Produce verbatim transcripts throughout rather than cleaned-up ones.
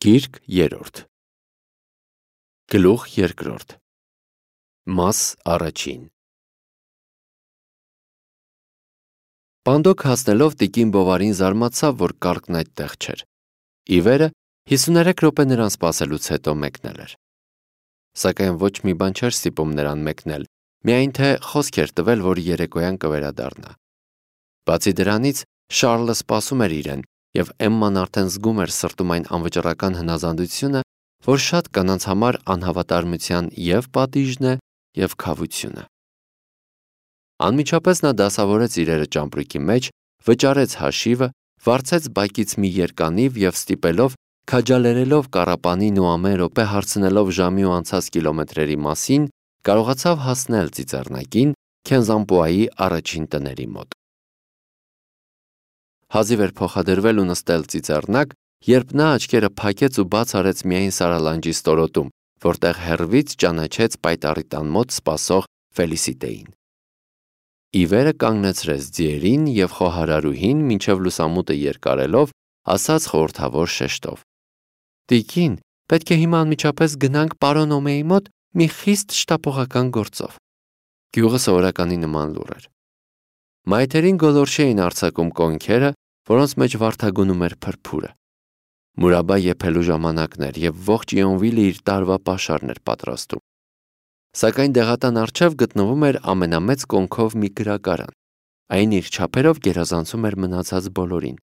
Գիրք երրորդ Գլուխ երկրորդ Մաս առաջին Պանդոկ հասնելով տիկին Բովարին զարմացավ, որ կառքն այդտեղ չէր։ Ի վերը հիսուներեք րոպե նրան սպասելուց հետո մեկնել էր։ Սակայն ոչ մի բան չէր ստիպում նրան մեկնել, միայն թե խոսք էր տվել, որ երեկոյան կվերադառնա։ Բացի դրանից, Շառլը սպասում էր իրեն, և Էմման արդեն զգում էր սրտում այն անվճռական հնազանդությունը, որ շատ կանանց համար անհավատարմության և պատիժն է, և քավությունը։ Անմիջապես նա դասավորեց իրերը ճամպրուկի մեջ, վճարեց հաշիվը, վարձեց բակից մի երկանիվ և ստիպելով, քաջալերելով կառապանին ու ամեն րոպե հարցնելով ժամի ու անցած կիլոմետրերի մասին, կարողացավ հասնել ծիծեռնակին Քենզանպոայի առաջին տների մոտ։ Հազիվ էր փոխադրվել ու նստել ծիծեռնակ, երբ նա աչքերը փակեց ու բաց արեց միայն Սարալանջի ստորոտում, որտեղ հեռվից ճանաչեց պայտառի տան մոտ սպասող Ֆելիսիտեին։ Ի վերը կանգնեցրեց ձիերին և խոհարարուհին, մինչև լուսամուտը երկարելով, ասաց խորհրդավոր շեշտով. «Տիկին, պետք է հիմա անմիջապես գնանք պարոն Օմեի մոտ մի խիստ շտապողական գործով»։ Գյուղը սովորականի նման լուռ էր։ Մայթերին գոլորշի էին արձակում կոնքերը, որոնց մեջ վարդագունում էր փրփուրը։ Մուրաբա եփելու ժամանակն էր, և ողջ Իոնվիլը իր տարվա պաշարն էր պատրաստում։ Սակայն դեղատան առջև գտնվում էր ամենամեծ կոնքով մի գրակարան։ Այն իր չափերով գերազանցում էր մնացած բոլորին։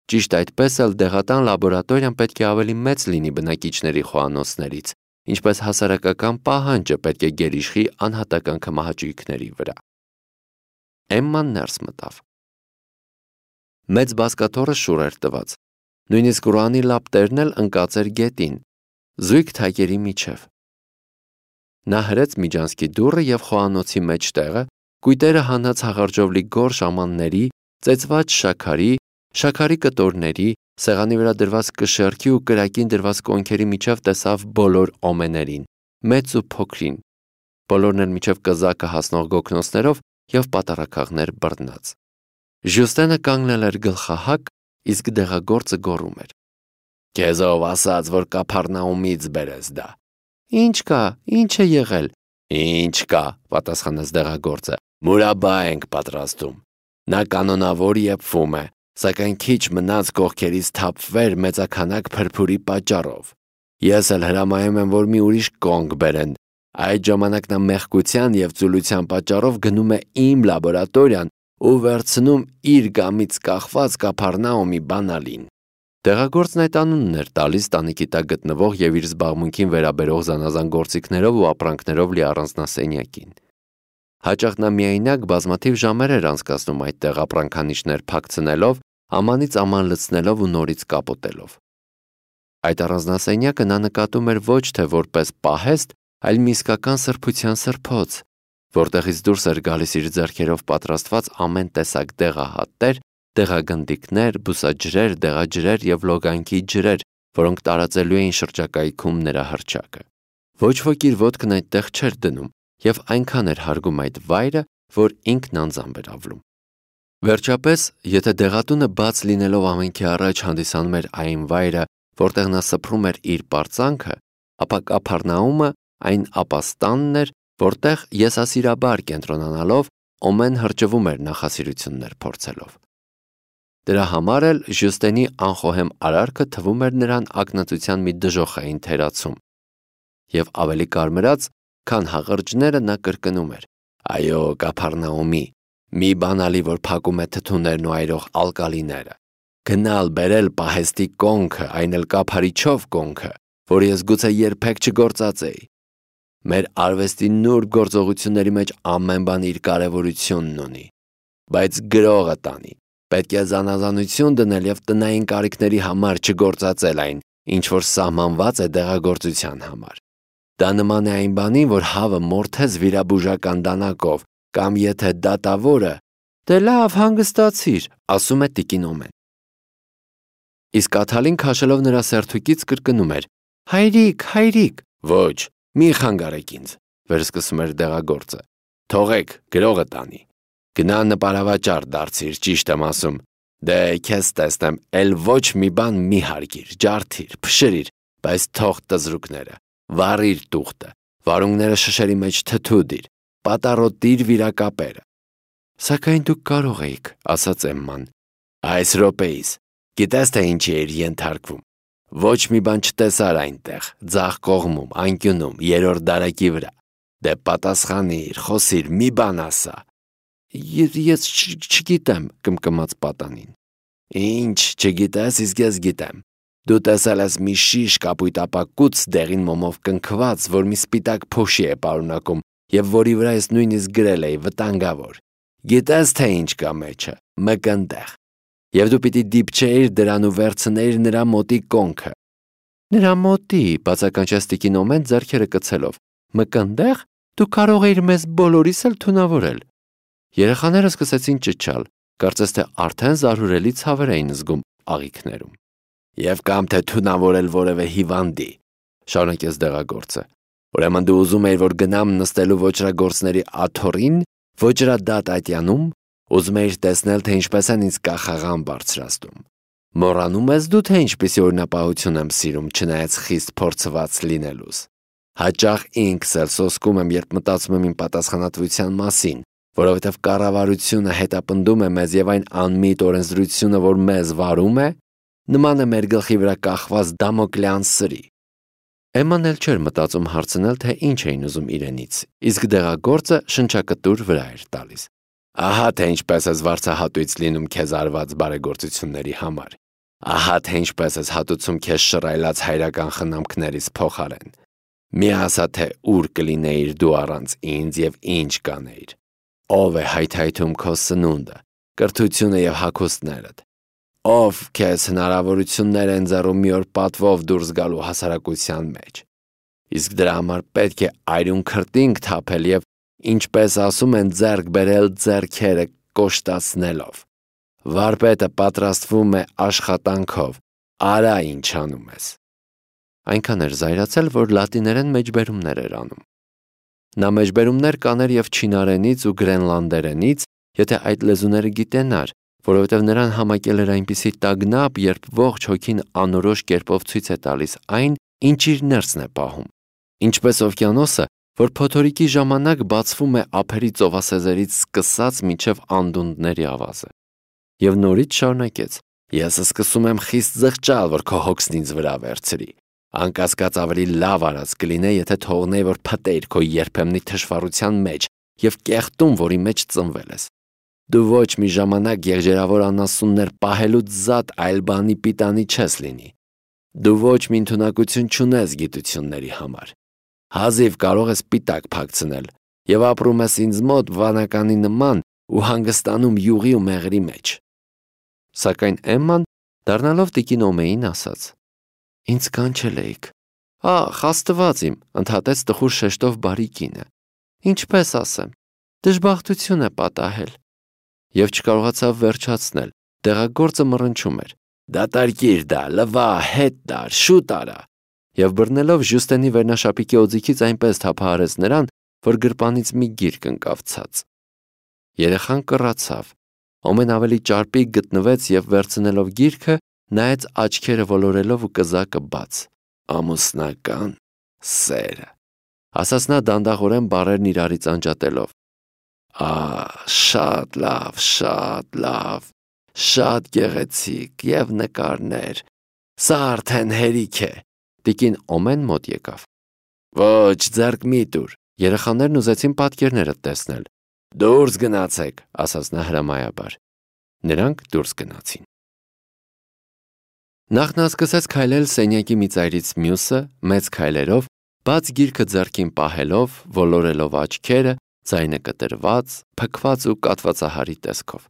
Ճիշտ այդպես էլ դեղատան լաբորատորիան պետք է ավելի մեծ լինի բնակիչների խոհանոցներից, ինչպես հասարակական պահանջը պետք է գերիշխի անհատական քմահաճույքների վրա։ Էմման ներս մտավ։ Մեծ բազկաթոռը շուռ էր տված, նույնիսկ Ռուանի լապտերն էլ ընկած էր գետին, զույգ թակերի միջև։ Նա հրեց միջանցքի դուռը և խոհանոցի մեջտեղը, կույտերը հանած հաղարջով լի գորշ ամանների, ծեծված շաքարի, շաքարի կտորների, սեղանի վրա դրված կշեռքի ու կրակին դրված կոնքերի միջև տեսավ բոլոր օմեներին, մեծ ու փոքրին, բոլորն էլ մինչև կզակը հասնող գոգնոցներով և պատառաքաղներ բռնած։ Ժյուստենը կանգնել էր գլխահակ, իսկ դեղագործը գոռում էր. «Քեզ ով ասաց, որ Կափառնաումից բերես դա»։ «Ինչ կա, ինչ է եղել»։ «Ինչ կա», պատասխանեց դեղագործը, «Մուրաբա ենք պատրաստում։ Նա կանոնավոր եփվում է, սակայն քիչ մնաց կողքերից թափվեր մեծաքանակ փրփուրի պատճառով։ Ես էլ հրամայում եմ, որ մի ուրիշ կոնք բերեն։ Այդ ժամանակ նա մեղքության և ծուլության պատճառով գնում է իմ լաբորատորիան ու վերցնում իր գամից կախված Կափառնաումի բանալին»։ Դեղագործն այդ անունն էր տալիս տանիքի տակ գտնվող և իր զբաղմունքին վերաբերող զանազան գործիքներով ու ապրանքներով լի առանձնասենյակին։ Հաճախ նա միայնակ բազմաթիվ ժամեր էր անցկացնում այդտեղ ապրանքանիշներ փակցնելով, ամանից աման լցնելով ու նորից կապոտելով։ Այդ առանձնասենյակը նա նկատում էր ոչ թե որպես պահեստ, այլ մի իսկական սրբության սրբոց, որտեղից դուրս էր գալիս իր ձեռքերով պատրաստված ամեն տեսակ դեղահատեր, դեղագնդիկներ, բուսաջրեր, դեղաջրեր և լոգանքի ջրեր, որոնք տարածելու էին շրջակայքում նրա հռչակը։ Ոչ ոք իր ոտքն այդտեղ չէր դնում, և այնքան էր հարգում այդ վայրը, որ ինքն անձամբ էր ավլում։ Վերջապես, եթե դեղատունը բաց լինելով ամենքի առաջ հանդիսանում էր այն վայրը, որտեղ նա սփռում էր իր պարծանքը, ապա Կափառնաումը այն ապաստանն էր, որտեղ եսասիրաբար կենտրոնանալով Օմեն հրճվում էր նախասիրություններ փորձելով։ Դրա համար էլ Ժյուստենի անխոհեմ արարքը թվում էր նրան ակնածության մի դժոխային թերացում, և ավելի կարմրած, քան հաղրջները նա կրկնում էր. «Այո, Կափառնաումի, մի բանալի, որ փակում է թթուներն ու այրող ալկալիները, գնալ բերել պահեստի կոնքը, այն էլ կափարիչով կոնքը, որ ես գուցե երբեք չգործածեի։ Մեր արվեստի նուրբ գործողությունների մեջ ամեն բան իր կարևորությունն ունի, բայց գրողը տանի, պետք է զանազանություն դնել և տնային կարիքների համար չգործածել այն, ինչ որ սահմանված է դեղագործության համար։ Դա նման է այն բանին, որ հավը մորթես վիրաբուժական դանակով, կամ եթե դատավորը…» «Դե լավ, հանգստացիր», ասում է տիկին Օմեն։ Իսկ Աթալին քաշելով նրա սերթուկից կրկնում էր. «Հայրիկ, հայրիկ»։ «Ոչ, մի խանգարեք ինձ», վերսկսում էր դեղագործը։ «Թողեք, գրողը տանի։ Գնա նպարավաճառ դարձիր, ճիշտ եմ ասում։ Դե քեզ տեսնեմ, էլ ոչ մի բան մի հարգիր, ջարդիր, փշրիր, բայց թող տզրուկները, վառիր տուղտը, վարունգները շշերի մեջ թթու դիր, պատառոտիր վիրակապերը։ Սակայն դուք կարող էիք, ասաց Էմման։ Այս րոպեիս, գիտես թե ինչի էր ենթարկվում։ Ոչ մի բան չտեսար այնտեղ, ձախ կողմում, անկյունում, երրորդ դարակի վրա։ Դե պատասխանիր, խոսիր, մի բան ասա։ Ես չգիտեմ, կմկմաց պատանին։ Ինչ, չգիտես, իսկ ես գիտեմ։ Դու տեսել ես մի շիշ կապույտապակուց դեղին մոմով կնքված, որ մի սպիտակ փոշի է պարունակում եւ որի վրա ես նույնիսկ գրել էի վտանգավոր։ Գիտես թե ինչ կա մեջը, մկնդեղ։ Եվ դու պիտի դիպչեիր դրան ու վերցնեիր նրա մոտի կոնքը։ Նրա մոտի, բացականչեց տիկին Օմեն ձեռքերը կցելով։ Մկնդեղ, դու կարող էիր մեզ բոլորիս էլ թունավորել։ Երեխաները սկսեցին ճչալ, կարծես թե արդեն զարհուրելի ցավեր էին զգում աղիքներում։ Եվ կամ թե թունավորել որևէ հիվանդի, շարունակեց դեղագործը։ Ուրեմն դու ուզում էիր, որ գնամ նստելու ոչրագործների աթոռին, ոչրադատ ատյանում, ուզում էիր տեսնել, թե ինչպես են ինձ կախաղան բարձրացնում։ Մոռանում ես դու, թե ինչպիսի օրինապահություն եմ սիրում, չնայած խիստ փորձված լինելուս։ Հաճախ ինքս էլ սոսկում եմ, երբ մտածում եմ իմ պատասխանատվության մասին, որովհետև կառավարությունը հետապնդում է մեզ եւ այն անմիտ օրենսդրությունը, որ մեզ վարում է, նման է մեր գլխի վրա կախված Դամոկլեան սրի։ Էմման էլ չէր մտածում հարցնել, թե ինչ էին ուզում իրենից, իսկ դեղագործը շնչակտուր վրա էր տալիս։ Ահա թե ինչպես ես վարձահատույց լինում քեզ արված բարեգործությունների համար։ Ահա թե ինչպես ես հատուցում քեզ շռայլած հայրական խնամքներից փոխարեն։ Մի ասա, թե ուր կլինեիր դու առանց ինձ եւ ինչ կանեիր։ Ով է հայթայթում քո սնունդը, կրթությունը եւ հագուստներդ։ Ով քեզ հնարավորություններ են ձեռում մի օր պատվով դուրս գալու հասարակության մեջ։ Իսկ դրա համար պետք է այրուն քրտինք թափել եւ, ինչպես ասում են, ձեռք բերել ձեռքերը կոշտացնելով։ Վարպետը պատրաստվում է աշխատանքով, արա ինչ անում ես։ Այնքան էր զայրացել, որ լատիներեն մեջբերումներ էր անում։ Նա մեջբերումներ կաներ եւ չինարենից ու գրենլանդերենից, եթե այդ լեզուները գիտենար, որովհետև նրան համակել էր այնպիսի տագնապ, երբ ողջ հոգին անորոշ կերպով ցույց է տալիս այն, ինչ իր ներսն է պահում։ Ինչպես օվկիանոսը, որ փոթորիկի ժամանակ բացվում է ափերի ծովասեզերից սկսած մինչև անդունդների ավազը։ Եվ նորից շարունակեց. Ես սկսում եմ խիստ զղջալ, որ քո հոգսն ինձ վրա վերցրի։ Անկասկած ավելի լավ արած կլինե, եթե թողնեի, որ փտեիր քո երբեմնի թշվառության մեջ եւ կեղտում, որի մեջ ծնվել ես։ Դու ոչ մի ժամանակ եղջերավոր անասուններ պահելուց զատ այլ բանի պիտանի չես լինի։ Դու ոչ մի ընդունակություն չունես գիտությունների համար։ Հազիվ կարող ես պիտակ փակցնել եւ ապրում ես ինձ մոտ վանականի նման ու հանգստանում յուղի ու մեղրի մեջ։ Սակայն Էմման, դառնալով տիկին Օմեին, ասաց. Ինձ կանչել էիք։ Ախ, Աստված իմ, ընդհատեց տխուր շեշտով բարի կինը։ Ինչպես ասեմ, դժբախտություն է պատահել։ Եվ չկարողացավ վերջացնել, դեղագործը մռնչում էր. Դատարկիր դա, լվա, հետ դար, շուտ արա։ Եվ բռնելով Ժյուստենի վերնաշապիկի օձիքից այնպես թափահարեց նրան, որ գրպանից մի գիրք ընկավ ցած։ Երեխան կռացավ։ Օմեն ավելի ճարպիկ գտնվեց եւ վերցնելով գիրքը, նայեց աչքերը ոլորելով ու կզակը բաց։ Ամուսնական սերը, ասաց նա դանդաղորեն բառերն իրարից անջատելով։ Ա, շատ լավ, շատ լավ, շատ գեղեցիկ եւ նկարներ։ Սա արդեն հերիք է։ Տիկին Օմեն մոտ եկավ։ Ոչ, ձեռք մի տուր։ Երեխաներն ուզեցին պատկերները տեսնել։ Դուրս գնացեք, ասաց նա հրամայաբար։ Նրանք դուրս գնացին։ Նախ նա սկսեց քայլել սենյակի մի ծայրից մյուսը, մեծ քայլերով, բաց գիրքը ձեռքին պահելով, ոլորելով աչքերը, ձայնը կտրված, փքված ու կատվածահարի տեսքով։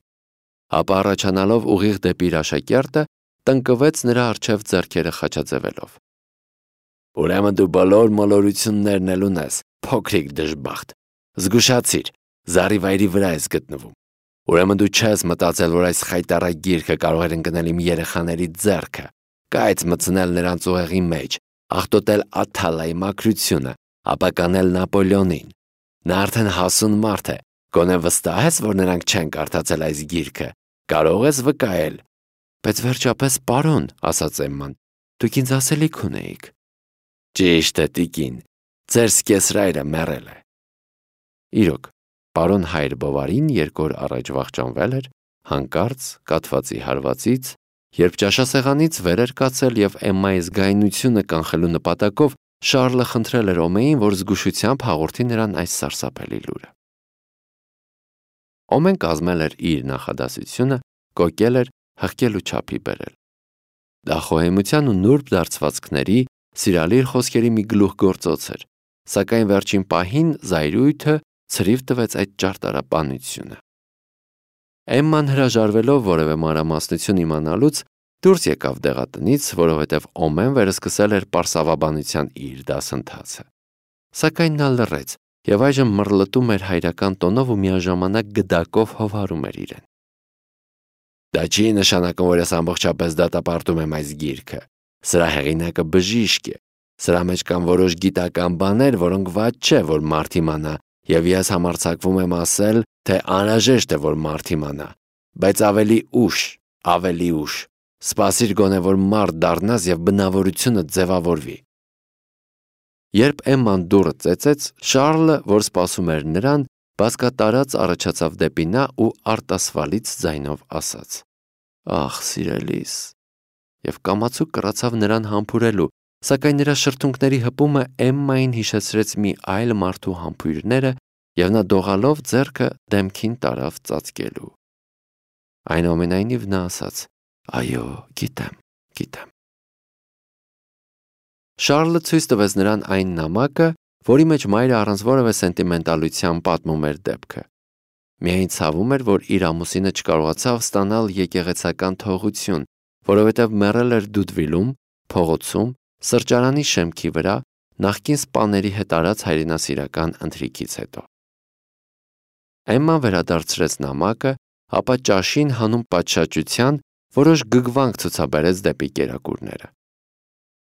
Ապա առաջանալով ուղիղ դեպի իր աշակերտը, տնկվեց նրա առջև ձեռքերը խաչաձևելով։ Ուրեմն դու բոլոր մոլորություններն էլ ունես, փոքրիկ դժբախտ։ Զգուշացիր, զառիվայրի վրա ես գտնվում։ Ուրեմն դու չես մտածել, որ այս խայտառակ գիրքը կարող էր ընկնել իմ երեխաների ձեռքը, կայծ մտցնել նրանց ուղեղի մեջ, աղտոտել Աթալայի մաքրությունը, ապա կանել Նապոլեոնին։ Նա արդեն հասուն մարդ է, գոնե վստահ ես, որ նրանք չեն կարդացել այս գիրքը, կարող ես վկայել։ Բայց վերջապես, պարոն, ասաց Էմման, դուք ինձ ասելիք ունեիք։ Ճիշտ է, տիկին, ձեր սկեսրայրը մեռել է։ Իրոք, պարոն Հայր Բովարին երկու օր առաջ վախճանվել էր, հանկարծ կաթվածի հարվածից, երբ ճաշասեղանից վեր էր կացել և Էմմայի զգայունությունը կանխելու նպատակով Շառլը խնդրել էր Օմեին, որ զգուշությամբ հաղորդի նրան այս սարսափելի լուրը։ Օմեն կազմել էր իր նախադասությունը, կոկել էր, հղկել ու չափի բերել։ Դա խոհեմության ու նուրբ դարձվածքների, սիրալիր խոսքերի մի գլուխգործոց էր, սակայն վերջին պահին զայրույթը ցրիվ տվեց այդ ճարտարապանությունը։ Էմման հրաժարվելով որևէ մանրամասնություն իմանալուց դուրս եկավ դեղատնից, որովհետև Օմեն վերսկսել էր պարսավաբանության իր դասընթացը։ Սակայն նա լռեց և այժմ մռլտում էր հայրական տոնով ու միաժամանակ գդակով հովհարում էր իրեն։ Դա չի նշանակում, որ ես ամբողջապես դատապարտում եմ այս գիրքը։ Սրա հեղինակը բժիշկ է։ Սրա մեջ կան որոշ գիտական բաներ, որոնք վատ չէ, որ մարդ իմանա, և ես համարձակվում եմ ասել, թե անհրաժեշտ է, որ մարդ իմանա, բայց ավելի ուշ, ավելի ուշ։ Սպասիր գոնե, որ մարդ դառնաս և բնավորությունդ ձևավորվի։ Երբ Էմման դուռը ծեծեց, Շառլը, որ սպասում էր նրան, բազկատարած առաջացավ դեպի նա ու արտասվալից ձայնով ասաց. «Ախ, սիրելիս», և կամացուկ կռացավ նրան համբուրելու, սակայն նրա շրթունքների հպումը Էմմային հիշեցրեց մի այլ մարդու համբույրները, և նա դողալով ձեռքը դեմքին տարավ ծածկելու։ Այնուամենայնիվ նա ասաց. «Այո, գիտեմ, գիտեմ»։ Շառլը ցույց տվեց նրան այն նամակը, որի մեջ մայրը առանց որևէ սենտիմենտալության պատմում էր դեպքը։ Միայն ցավում էր, որ իր ամուսինը չկարողացավ ստանալ եկեղեցական թողություն, որովհետև մեռել էր Դուդվիլում, փողոցում, սրճարանի շեմքի վրա, նախկին սպաների հետ արած հայրենասիրական ընթրիքից հետո։ Էմման վերադարձրեց նամակը, ապա ճաշին հանուն պատշաճության որոշ գգվանք ցուցաբերեց դեպի կերակուրները։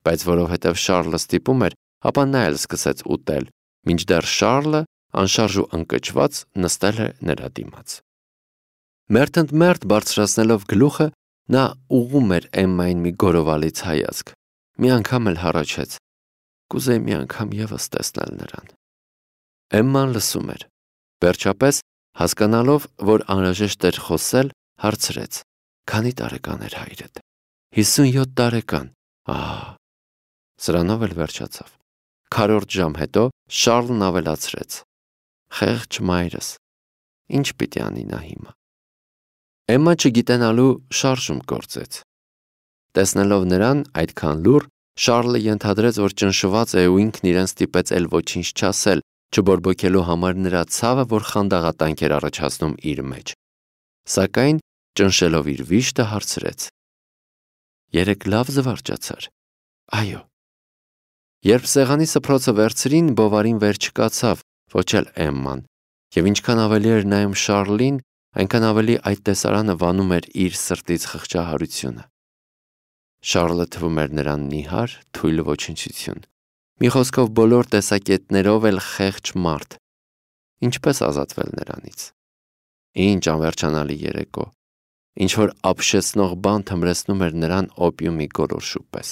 Բայց որովհետև Շառլը ստիպում էր, ապա նա էլ սկսեց ուտել, մինչդեռ Շառլը, անշարժ ու ընկճված, նստել է նրա դիմաց։ Մերթընդմերթ բարձրացնելով գլուխը, նա ուղղում էր Էմմային մի գորովալից հայացք։ Մի անգամ էլ հառաչեց. «Կուզեի մի անգամ ևս տեսնել նրան»։ Էմման լսում էր։ Վերջապես, հասկանալով, որ անհրաժեշտ էր խոսել, հարցրեց. «Քանի տարեկան էր հայրդ»։ «Հիսունյոթ տարեկան»։ Ահա։ Սրանով էլ վերջացավ։ Քառորդ ժամ հետո Շառլն ավելացրեց. «Խեղճ մայրս, ինչ պիտի անի նա հիմա»։ Էմմա չգիտենալու շարժում գործեց։ Տեսնելով նրան այդքան լուռ, Շառլը ենթադրեց, որ ճնշված է ու ինքն իրեն ստիպեց էլ ոչինչ չասել, չբորբոքելու համար նրա ցավը, որ խանդաղատանք էր առաջացնում իր մեջ։ Սակայն, ճնշելով իր վիշտը, հարցրեց. «Երեկ լավ զվարճացար»։ «Այո»։ Երբ սեղանի սփռոցը վերցրին, Բովարին վեր չկացավ, ոչ էլ Էմման, և ինչքան ավելի էր նայում Շառլին, այնքան ավելի այդ տեսարանը վանում էր իր սրտից խղճահարությունը։ Շառլը թվում էր նրան նիհար, թույլ ոչնչություն։ Մի խոսքով, բոլոր տեսակետներով էլ խեղճ մարդ։ Ինչպես ազատվել նրանից։ Ինչ անվերջանալի երեկո։ Ինչ-որ ապշեցնող բան թմրեցնում էր նրան օպիումի գոլորշու պես։